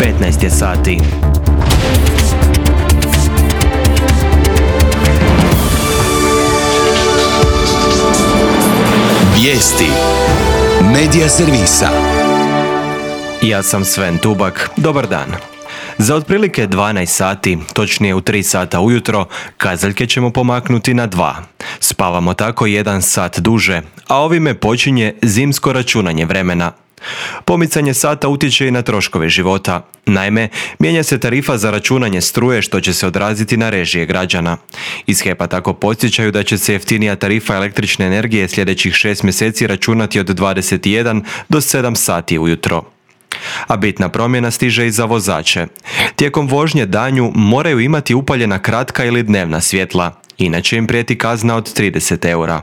15 je sati. Vijesti Medija servisa. Ja sam Sven Tubak. Dobar dan. Za otprilike 12 sati, točnije u 3 sata ujutro, kazaljke ćemo pomaknuti na 2. Spavamo tako 1 sat duže, a ovime počinje zimsko računanje vremena. Pomicanje sata utječe i na troškove života. Naime, mijenja se tarifa za računanje struje što će se odraziti na režije građana. Iz HEP-a tako podsjećaju da će se jeftinija tarifa električne energije sljedećih 6 mjeseci računati od 21 do 7 sati ujutro. A bitna promjena stiže i za vozače. Tijekom vožnje danju moraju imati upaljena kratka ili dnevna svjetla, inače im prijeti kazna od 30 eura.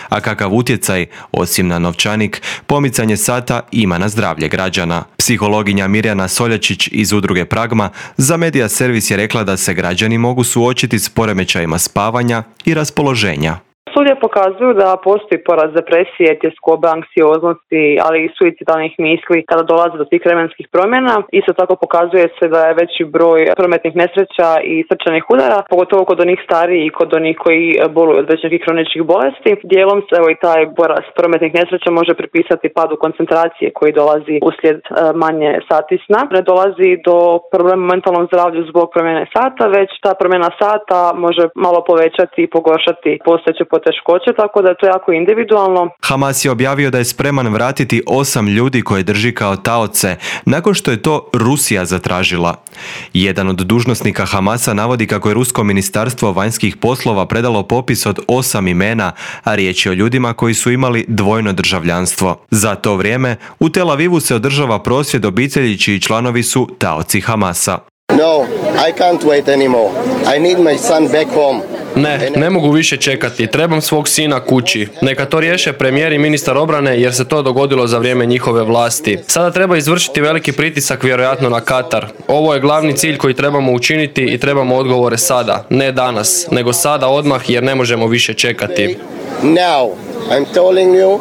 A kakav utjecaj, osim na novčanik, pomicanje sata ima na zdravlje građana? Psihologinja Mirjana Soljačić iz udruge Pragma za Medija servis je rekla da se građani mogu suočiti s poremećajima spavanja i raspoloženja. Studije pokazuju da postoji porast depresije, tjeskobe, anksioznosti, ali i suicidalnih misli kada dolazi do tih vremenskih promjena. Isto tako pokazuje se da je veći broj prometnih nesreća i srčanih udara, pogotovo kod onih starijih i kod onih koji boluju od većih kroničnih bolesti. Dijelom se i taj porast prometnih nesreća može pripisati padu koncentracije koji dolazi uslijed manje sati sna. Ne dolazi do problema u mentalnom zdravlju zbog promjene sata, već ta promjena sata može malo povećati i pogoršati postojeće teškoće, tako da je to jako individualno. Hamas je objavio da je spreman vratiti 8 ljudi koje drži kao taoce, nakon što je to Rusija zatražila. Jedan od dužnosnika Hamasa navodi kako je Rusko ministarstvo vanjskih poslova predalo popis od 8 imena, a riječ je o ljudima koji su imali dvojno državljanstvo. Za to vrijeme u Tel Avivu se održava prosvjed obitelji čiji članovi su taoci Hamasa. No, I can't wait anymore. I need my son back home. Ne mogu više čekati. Trebam svog sina kući. Neka to riješe premijer i ministar obrane jer se to dogodilo za vrijeme njihove vlasti. Sada treba izvršiti veliki pritisak vjerojatno na Katar. Ovo je glavni cilj koji trebamo učiniti i trebamo odgovore sada. Ne danas, nego sada odmah jer ne možemo više čekati. Now, I'm telling you,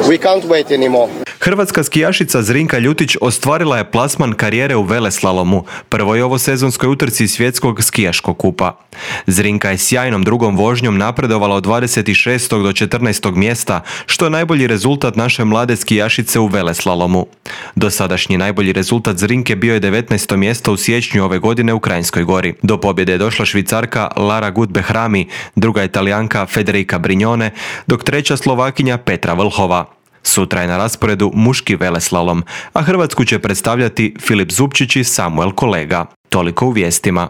we can't wait anymore. Hrvatska skijašica Zrinka Ljutić ostvarila je plasman karijere u veleslalomu, prvoj ovosezonskoj utrci svjetskog skijaškog kupa. Zrinka je sjajnom drugom vožnjom napredovala od 26. do 14. mjesta, što je najbolji rezultat naše mlade skijašice u veleslalomu. Dosadašnji najbolji rezultat Zrinke bio je 19. mjesto u siječnju ove godine u Kranjskoj Gori. Do pobjede je došla Švicarka Lara Gut-Behrami, druga Italijanka Federica Brignone, dok treća Slovakinja Petra Vlhova. Sutra je na rasporedu muški veleslalom, a Hrvatsku će predstavljati Filip Zupčić i Samuel Kolega. Toliko u vijestima.